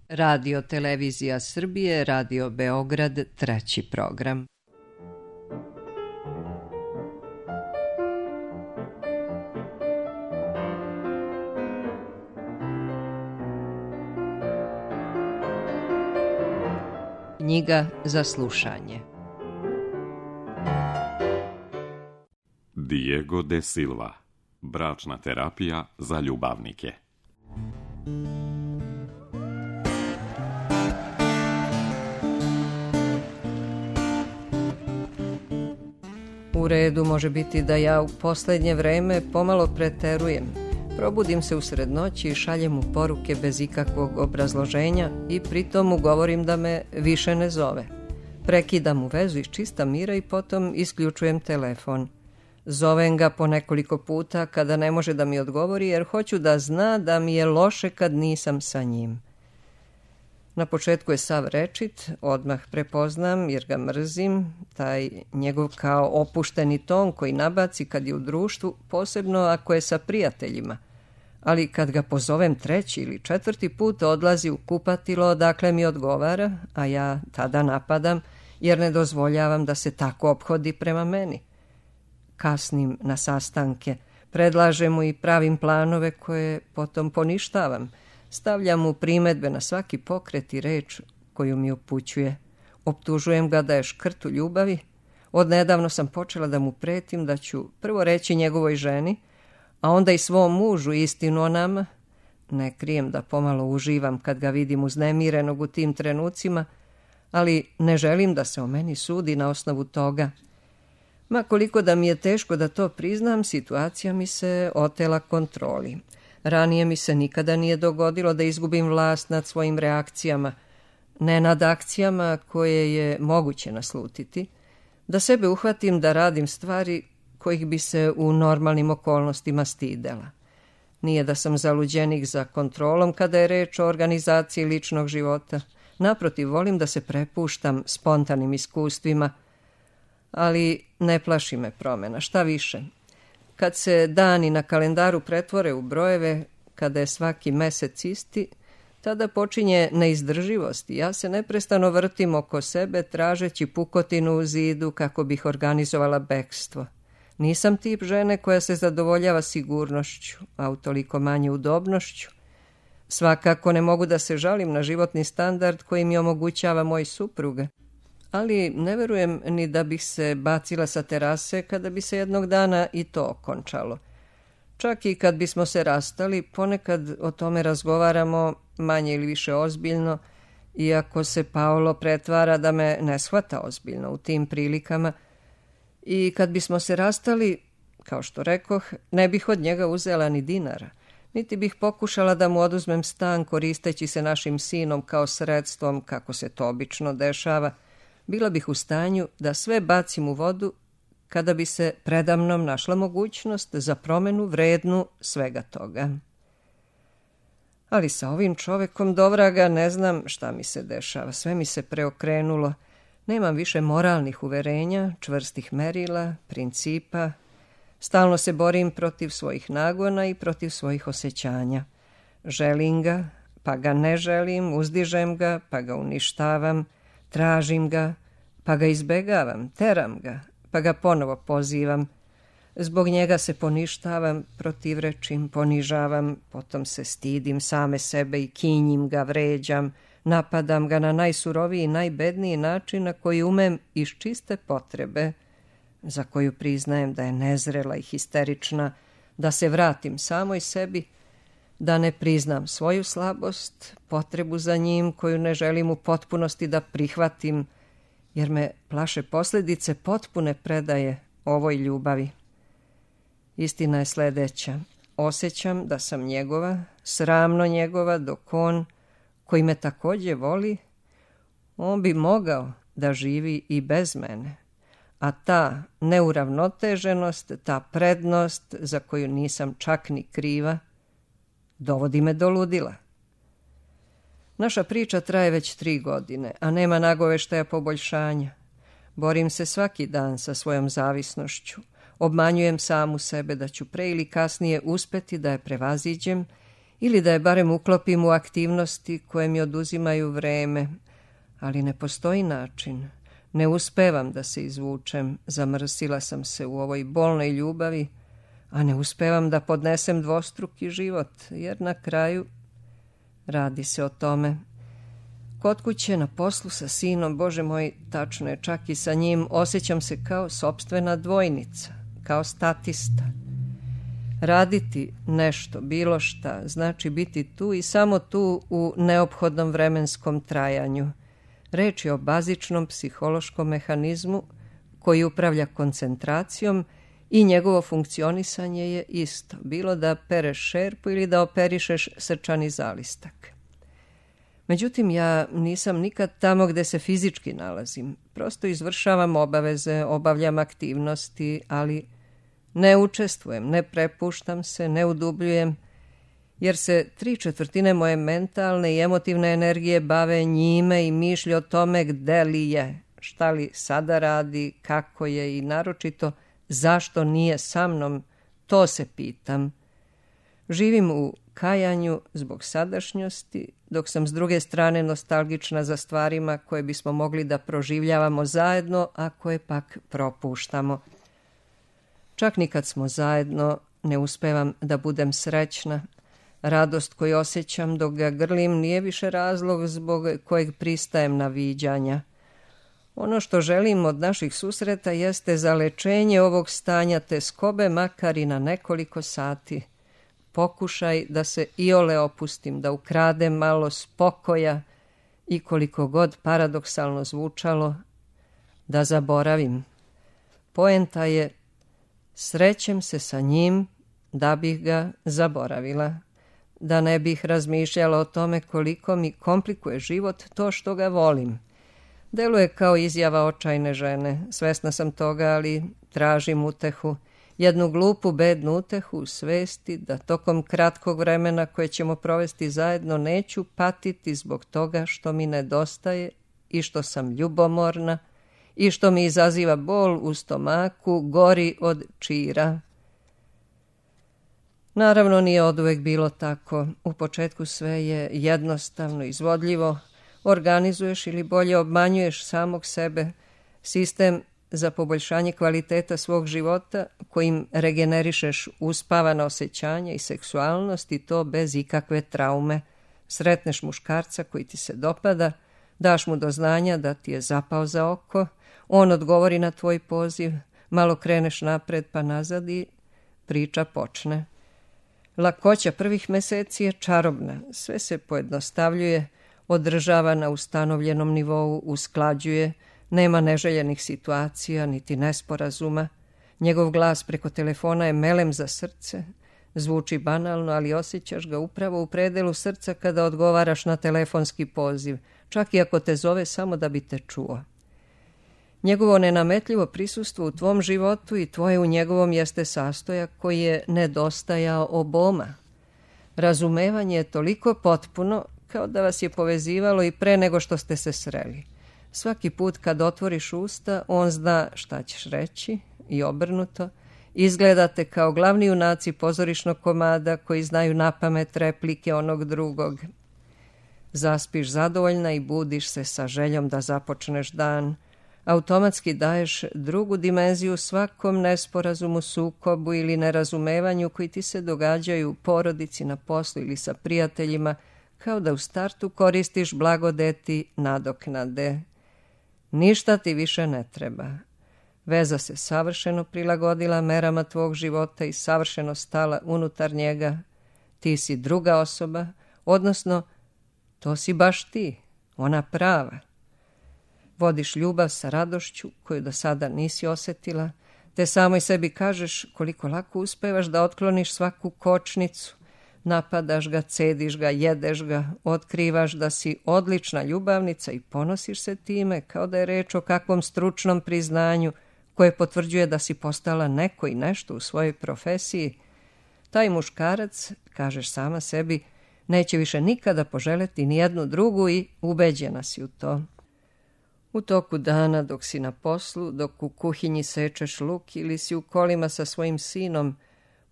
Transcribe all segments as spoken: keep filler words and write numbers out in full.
Radio Televizija Srbije, Radio Beograd, treći program. Knjiga za slušanje. Diego de Silva. Bračna terapija za ljubavnike. U redu može biti da ja u poslednje vreme pomalo preterujem. Probudim se usred noći i šaljem mu poruke bez ikakvog obrazloženja i pritom mu govorim da me više ne zove. Prekidam mu vezu iz čista mira i potom isključujem telefon. Zovem ga po nekoliko puta kada ne može da mi odgovori jer hoću da zna da mi je loše kad nisam sa njim. Na početku je sav rečit, odmah prepoznam jer ga mrzim, taj njegov kao opušteni ton koji nabaci kad je u društvu, posebno ako je sa prijateljima. Ali kad ga pozovem treći ili četvrti put odlazi u kupatilo odakle mi odgovara, a ja tada napadam jer ne dozvoljavam da se tako ophodi prema meni. Kasnim na sastanke, predlažem mu i pravim planove koje potom poništavam. Stavljam mu primedbe na svaki pokret i reč koju mi upućuje. Optužujem ga da je škrt u ljubavi. Odnedavno sam počela da mu pretim da ću prvo reći njegovoj ženi, a onda i svom mužu istinu o nama. Ne krijem da pomalo uživam kad ga vidim uznemirenog u tim trenucima, ali ne želim da se o meni sudi na osnovu toga. Ma koliko da mi je teško da to priznam, situacija mi se otela kontroli. Ranije mi se nikada nije dogodilo da izgubim vlast nad svojim reakcijama, ne nad akcijama koje je moguće naslutiti, da sebe uhvatim da radim stvari kojih bi se u normalnim okolnostima stidela. Nije da sam zaluđenik za kontrolom kada je reč o organizaciji ličnog života. Naprotiv, volim da se prepuštam spontanim iskustvima, ali ne plaši me promena, šta više. Kad se dani na kalendaru pretvore u brojeve, kada je svaki mesec isti, tada počinje neizdrživost i ja se neprestano vrtim oko sebe tražeći pukotinu u zidu kako bih organizovala bekstvo. Nisam tip žene koja se zadovoljava sigurnošću, a utoliko manje udobnošću. Svakako ne mogu da se žalim na životni standard koji mi omogućava moj suprug. Ali ne verujem ni da bih se bacila sa terase kada bi se jednog dana i to okončalo. Čak i kad bismo se rastali, ponekad o tome razgovaramo manje ili više ozbiljno, iako se Paolo pretvara da me ne shvata ozbiljno u tim prilikama. I kad bismo se rastali, kao što rekoh, ne bih od njega uzela ni dinara, niti bih pokušala da mu oduzmem stan koristeći se našim sinom kao sredstvom, kako se to obično dešava. Bila bih u stanju da sve bacim u vodu kada bi se predamnom našla mogućnost za promenu vrednu svega toga. Ali sa ovim čovekom dovraga ne znam šta mi se dešava, sve mi se preokrenulo. Nemam više moralnih uverenja, čvrstih merila, principa. Stalno se borim protiv svojih nagona i protiv svojih osjećanja. Želim ga, pa ga ne želim, uzdižem ga, pa ga uništavam. Tražim ga, pa ga izbegavam, teram ga, pa ga ponovo pozivam. Zbog njega se poništavam, protivrečim, ponižavam, potom se stidim same sebe i kinjim ga, vređam, napadam ga na najsuroviji i najbedniji način na koji umem iz čiste potrebe, za koju priznajem da je nezrela i histerična, da se vratim samoj sebi, da ne priznam svoju slabost, potrebu za njim koju ne želim u potpunosti da prihvatim, jer me plaše posljedice potpune predaje ovoj ljubavi. Istina je sledeća. Osjećam da sam njegova, sramno njegova, dok on, koji me takođe voli, on bi mogao da živi i bez mene. A ta neuravnoteženost, ta prednost za koju nisam čak ni kriva, dovodi me do ludila. Naša priča traje već tri godine, a nema nagoveštaja poboljšanja. Borim se svaki dan sa svojom zavisnošću. Obmanjujem samu sebe da ću pre ili kasnije uspeti da je prevaziđem ili da je barem uklopim u aktivnosti koje mi oduzimaju vreme, ali ne postoji način. Ne uspevam da se izvučem, zamrsila sam se u ovoj bolnoj ljubavi, a ne uspevam da podnesem dvostruki život, jer na kraju radi se o tome. Kod kuće, na poslu sa sinom, Bože moj, tačno je, čak i sa njim, osjećam se kao sopstvena dvojnica, kao statista. Raditi nešto, bilo šta, znači biti tu i samo tu u neophodnom vremenskom trajanju. Reč je o bazičnom psihološkom mehanizmu koji upravlja koncentracijom i njegovo funkcionisanje je isto, bilo da pereš šerpu ili da operišeš srčani zalistak. Međutim, ja nisam nikad tamo gde se fizički nalazim. Prosto izvršavam obaveze, obavljam aktivnosti, ali ne učestvujem, ne prepuštam se, ne udubljujem, jer se tri četvrtine moje mentalne i emotivne energije bave njime i mišlji o tome gde li je, šta li sada radi, kako je i naročito zašto nije sa mnom, to se pitam. Živim u kajanju zbog sadašnjosti, dok sam s druge strane nostalgična za stvarima koje bismo mogli da proživljavamo zajedno, a koje pak propuštamo. Čak ni kad smo zajedno, ne uspevam da budem srećna. Radost koju osjećam dok ga grlim nije više razlog zbog kojeg pristajem na viđanja. Ono što želim od naših susreta jeste zalečenje ovog stanja teskobe, makar i na nekoliko sati. Pokušaj da se iole opustim, da ukradem malo spokoja i, koliko god paradoksalno zvučalo, da zaboravim. Poenta je, srećem se sa njim da bih ga zaboravila, da ne bih razmišljala o tome koliko mi komplikuje život to što ga volim. Deluje kao izjava očajne žene, svesna sam toga, ali tražim utehu, jednu glupu, bednu utehu u svesti da tokom kratkog vremena koje ćemo provesti zajedno neću patiti zbog toga što mi nedostaje i što sam ljubomorna i što mi izaziva bol u stomaku, gori od čira. Naravno, nije oduvek bilo tako. U početku sve je jednostavno, izvodljivo. Organizuješ ili bolje obmanjuješ samog sebe, sistem za poboljšanje kvaliteta svog života kojim regenerišeš uspavana osjećanja i seksualnost, i to bez ikakve traume. Sretneš muškarca koji ti se dopada, daš mu do znanja da ti je zapao za oko, on odgovori na tvoj poziv, malo kreneš napred pa nazad i priča počne. Lakoća prvih meseci je čarobna, sve se pojednostavljuje, održava na ustanovljenom nivou, usklađuje, nema neželjenih situacija niti nesporazuma. Njegov glas preko telefona je melem za srce, zvuči banalno, ali osjećaš ga upravo u predelu srca kada odgovaraš na telefonski poziv, čak i ako te zove samo da bi te čuo. Njegovo nenametljivo prisustvo u tvom životu i tvoje u njegovom jeste sastojak koji je nedostajao oboma. Razumevanje je toliko potpuno kao da vas je povezivalo i pre nego što ste se sreli. Svaki put kad otvoriš usta, on zna šta ćeš reći i obrnuto. Izgledate kao glavni junaci pozorišnog komada koji znaju napamet replike onog drugog. Zaspiš zadovoljna i budiš se sa željom da započneš dan. Automatski daješ drugu dimenziju svakom nesporazumu, sukobu ili nerazumevanju koji ti se događaju u porodici, na poslu ili sa prijateljima, kao da u startu koristiš blagodeti nadoknade. Ništa ti više ne treba. Veza se savršeno prilagodila merama tvog života i savršeno stala unutar njega. Ti si druga osoba, odnosno to si baš ti, ona prava. Vodiš ljubav sa radošću koju do sada nisi osjetila, te samoj sebi kažeš koliko lako uspevaš da otkloniš svaku kočnicu. Napadaš ga, cediš ga, jedeš ga, otkrivaš da si odlična ljubavnica i ponosiš se time kao da je reč o kakvom stručnom priznanju koje potvrđuje da si postala neko i nešto u svojoj profesiji. Taj muškarac, kažeš sama sebi, neće više nikada poželeti ni jednu drugu i ubeđena si u to. U toku dana, dok si na poslu, dok u kuhinji sečeš luk ili si u kolima sa svojim sinom,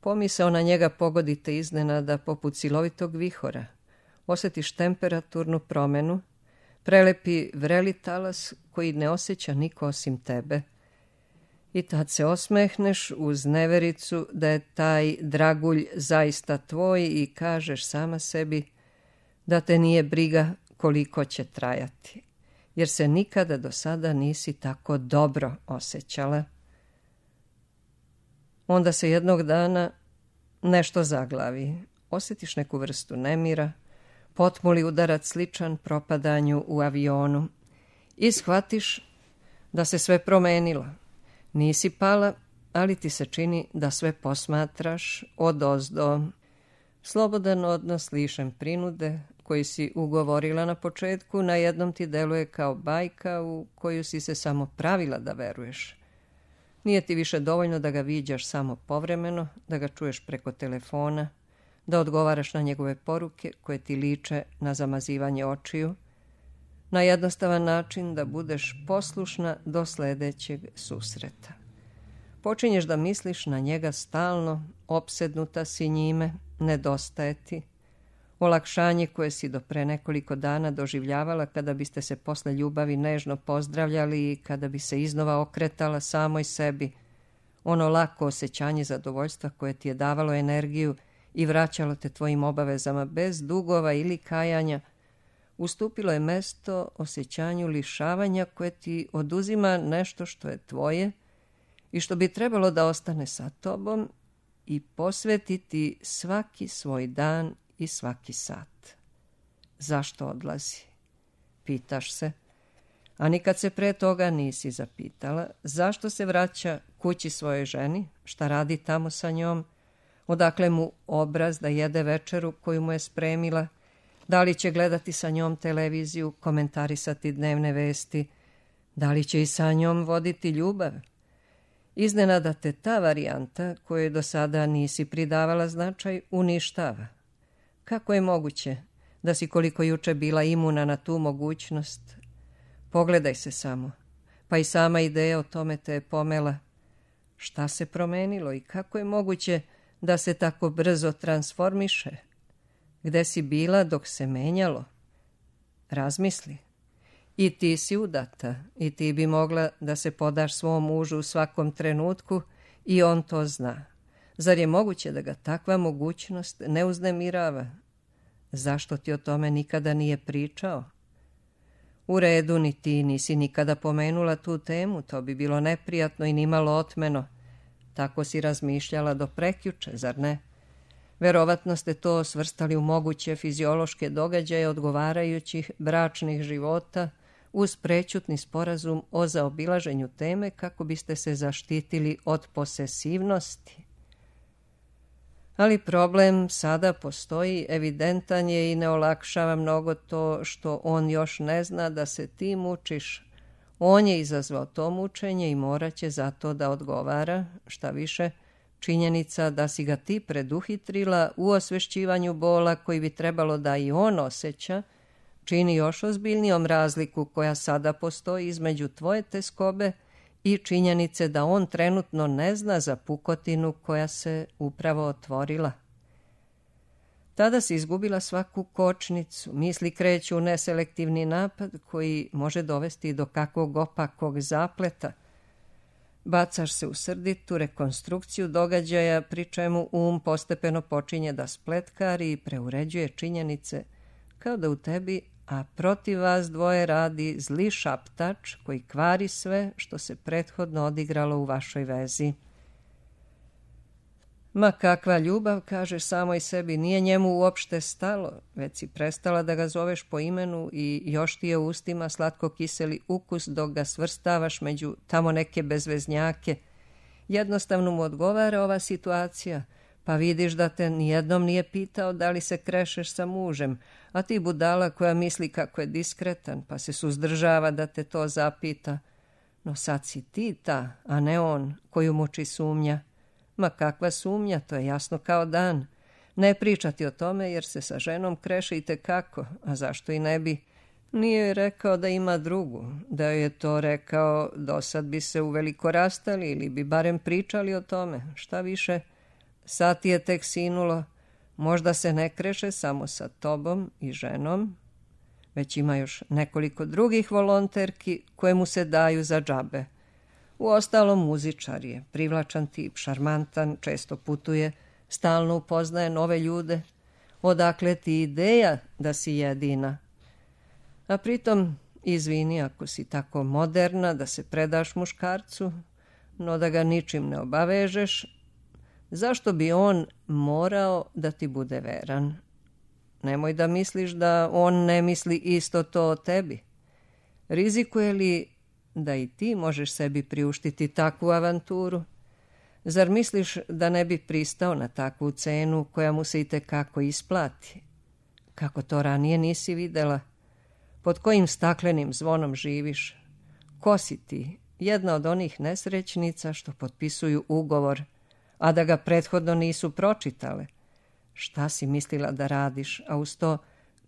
Pomisao na njega pogodite iznenada poput silovitog vihora. Osjetiš temperaturnu promjenu, prelepi vreli talas koji ne osjeća niko osim tebe. I tad se osmehneš uz nevericu da je taj dragulj zaista tvoj i kažeš sama sebi da te nije briga koliko će trajati, jer se nikada do sada nisi tako dobro osjećala. Onda se jednog dana nešto zaglavi, osjetiš neku vrstu nemira, potmuli udarac sličan propadanju u avionu i shvatiš da se sve promenilo. Nisi pala, ali ti se čini da sve posmatraš odozdo. Slobodan odnos lišen prinude koji si ugovorila na početku na jednom ti deluje kao bajka u koju si se samo pravila da veruješ. Nije ti više dovoljno da ga viđaš samo povremeno, da ga čuješ preko telefona, da odgovaraš na njegove poruke koje ti liče na zamazivanje očiju, na jednostavan način da budeš poslušna do sljedećeg susreta. Počinješ da misliš na njega stalno, opsednuta si njime, nedostaje ti. Olakšanje koje si do pre nekoliko dana doživljavala kada biste se posle ljubavi nežno pozdravljali i kada bi se iznova okretala samoj sebi, ono lako osjećanje zadovoljstva koje ti je davalo energiju i vraćalo te tvojim obavezama bez dugova ili kajanja, ustupilo je mesto osjećanju lišavanja koje ti oduzima nešto što je tvoje i što bi trebalo da ostane sa tobom i posvetiti svaki svoj dan i svaki sat. Zašto odlazi? Pitaš se, a nikad se pre toga nisi zapitala zašto se vraća kući svojoj ženi, šta radi tamo sa njom, odakle mu obraz da jede večeru koju mu je spremila, da li će gledati sa njom televiziju, komentarisati dnevne vesti, da li će i sa njom voditi ljubav. Iznenada te ta varijanta, koju do sada nisi pridavala značaj, uništava. Kako je moguće da si koliko juče bila imuna na tu mogućnost? Pogledaj se samo, pa i sama ideja o tome te je pomela. Šta se promenilo i kako je moguće da se tako brzo transformiše? Gde si bila dok se menjalo? Razmisli. I ti si udata i ti bi mogla da se podaš svom mužu u svakom trenutku i on to zna. Zar je moguće da ga takva mogućnost ne uznemirava? Zašto ti o tome nikada nije pričao? U redu, ni ti nisi nikada pomenula tu temu, to bi bilo neprijatno i nimalo otmeno. Tako si razmišljala do prekjuče, zar ne? Verovatno ste to svrstali u moguće fiziološke događaje odgovarajućih bračnih života uz prećutni sporazum o zaobilaženju teme kako biste se zaštitili od posesivnosti. Ali problem sada postoji, evidentan je i ne olakšava mnogo to što on još ne zna da se ti mučiš. On je izazvao to mučenje i morat će za to da odgovara, šta više, činjenica da si ga ti preduhitrila u osvešćivanju bola koji bi trebalo da i on osjeća, čini još ozbiljnijom razliku koja sada postoji između tvoje teskobe i činjenice da on trenutno ne zna za pukotinu koja se upravo otvorila. Tada si izgubila svaku kočnicu, misli kreću u neselektivni napad koji može dovesti do kakvog opakog zapleta. Bacaš se u srditu rekonstrukciju događaja, pri čemu um postepeno počinje da spletkari i preuređuje činjenice, kao da u tebi, a protiv vas dvoje radi zli šaptač koji kvari sve što se prethodno odigralo u vašoj vezi. Ma kakva ljubav, kažeš samoj sebi, nije njemu uopšte stalo, već si prestala da ga zoveš po imenu i još ti je u ustima slatko kiseli ukus dok ga svrstavaš među tamo neke bezveznjake. Jednostavno mu odgovara ova situacija, pa vidiš da te nijednom nije pitao da li se krešeš sa mužem, a ti budala koja misli kako je diskretan, pa se suzdržava da te to zapita. No sad si ti ta, a ne on, koju muči sumnja. Ma kakva sumnja, to je jasno kao dan. Ne pričati o tome jer se sa ženom kreše i tekako, a zašto i ne bi? Nije joj rekao da ima drugu, da joj je to rekao, dosad bi se uveliko rastali ili bi barem pričali o tome, šta više. sad ti je tek sinulo, možda se ne kreše samo sa tobom i ženom, već ima još nekoliko drugih volonterki koje mu se daju za džabe. Uostalom, muzičar je, privlačan tip, šarmantan, često putuje, stalno upoznaje nove ljude. Odakle ti ideja da si jedina? A pritom, izvini ako si tako moderna da se predaš muškarcu, no da ga ničim ne obavežeš, zašto bi on morao da ti bude veran? Nemoj da misliš da on ne misli isto to o tebi. Rizikuje li da i ti možeš sebi priuštiti takvu avanturu? Zar misliš da ne bi pristao na takvu cenu koja mu se i tekako isplati? Kako to ranije nisi videla? Pod kojim staklenim zvonom živiš? Ko si ti? Jedna od onih nesrećnica što potpisuju ugovor, a da ga prethodno nisu pročitale. Šta si mislila da radiš, a uz to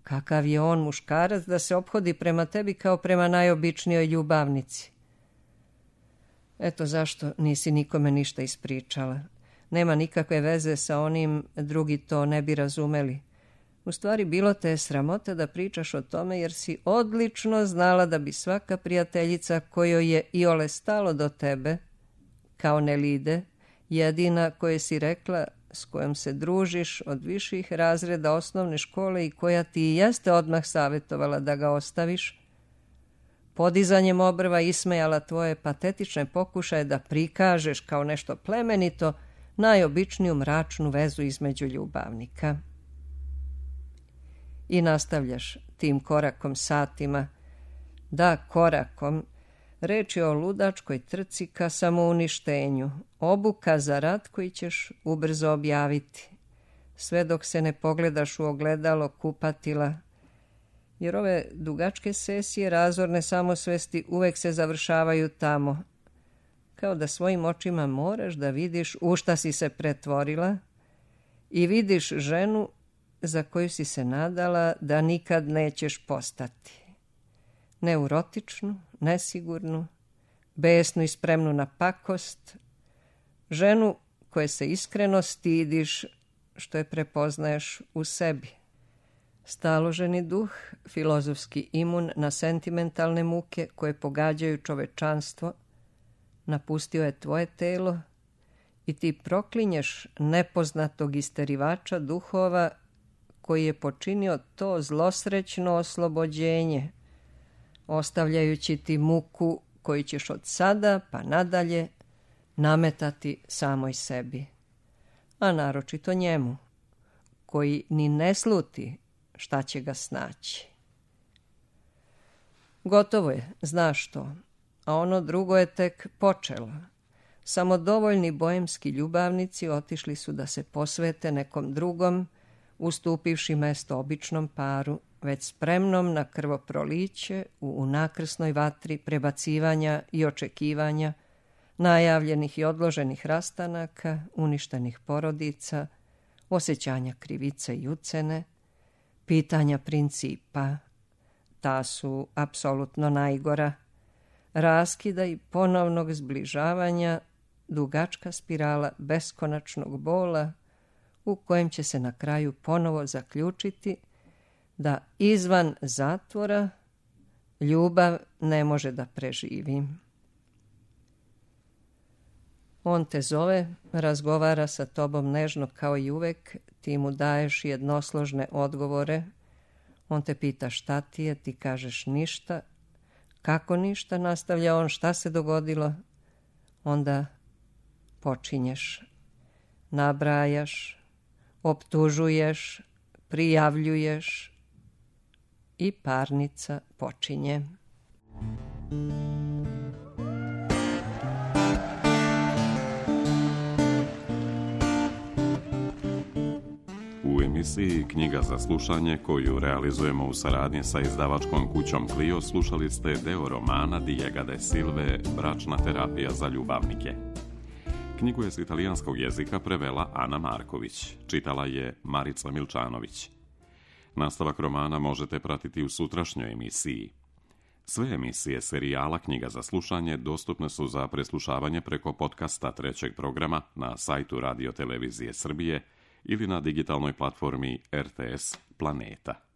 kakav je on muškarac da se ophodi prema tebi kao prema najobičnijoj ljubavnici? Eto zašto nisi nikome ništa ispričala. Nema nikakve veze sa onim, drugi to ne bi razumeli. U stvari bilo te je sramota da pričaš o tome jer si odlično znala da bi svaka prijateljica kojoj je iole stalo do tebe, kao Nelide, jedina koje si rekla s kojom se družiš od viših razreda osnovne škole i koja ti i jeste odmah savjetovala da ga ostaviš, podizanjem obrva ismejala tvoje patetične pokušaje da prikažeš kao nešto plemenito najobičniju mračnu vezu između ljubavnika. I nastavljaš tim korakom satima. Da, korakom. Reč je o ludačkoj trci ka samouništenju, obuka za rat koji ćeš ubrzo objaviti, sve dok se ne pogledaš u ogledalo kupatila, jer ove dugačke sesije razorne samosvesti uvek se završavaju tamo, kao da svojim očima moraš da vidiš u šta si se pretvorila i vidiš ženu za koju si se nadala da nikad nećeš postati. Neurotičnu, nesigurnu, besnu i spremnu na pakost, ženu koje se iskreno stidiš što je prepoznaješ u sebi. Staloženi duh, filozofski imun na sentimentalne muke koje pogađaju čovečanstvo, napustio je tvoje telo i ti proklinješ nepoznatog isterivača duhova koji je počinio to zlosrećno oslobođenje, ostavljajući ti muku koju ćeš od sada pa nadalje nametati samoj sebi, a naročito njemu, koji ni ne sluti šta će ga snaći. Gotovo je, znaš to, a ono drugo je tek počelo. Samodovoljni bojemski ljubavnici otišli su da se posvete nekom drugom, ustupivši mesto običnom paru, već spremnom na krvoproliće u unakrsnoj vatri prebacivanja i očekivanja, najavljenih i odloženih rastanaka, uništenih porodica, osjećanja krivice i ucene, pitanja principa, ta su apsolutno najgora, raskida i ponovnog zbližavanja, dugačka spirala beskonačnog bola u kojem će se na kraju ponovo zaključiti da izvan zatvora ljubav ne može da preživi. On te zove, razgovara sa tobom nežno kao i uvek, ti mu daješ jednosložne odgovore, on te pita šta ti je, ti kažeš ništa, kako ništa, nastavlja on, šta se dogodilo, onda počinješ, nabrajaš, optužuješ, prijavljuješ i parnica počinje. U emisiji Knjiga za slušanje, koju realizujemo u saradnji sa izdavačkom kućom Clio, slušali ste deo romana Diega de Silve Bračna terapija za ljubavnike. Knjigu je s italijanskog jezika prevela Ana Marković, čitala je Marica Milčanović. Nastavak romana možete pratiti u sutrašnjoj emisiji. Sve emisije serijala Knjiga za slušanje dostupne su za preslušavanje preko podcasta trećeg programa na sajtu Radio Televizije Srbije ili na digitalnoj platformi R T S Planeta.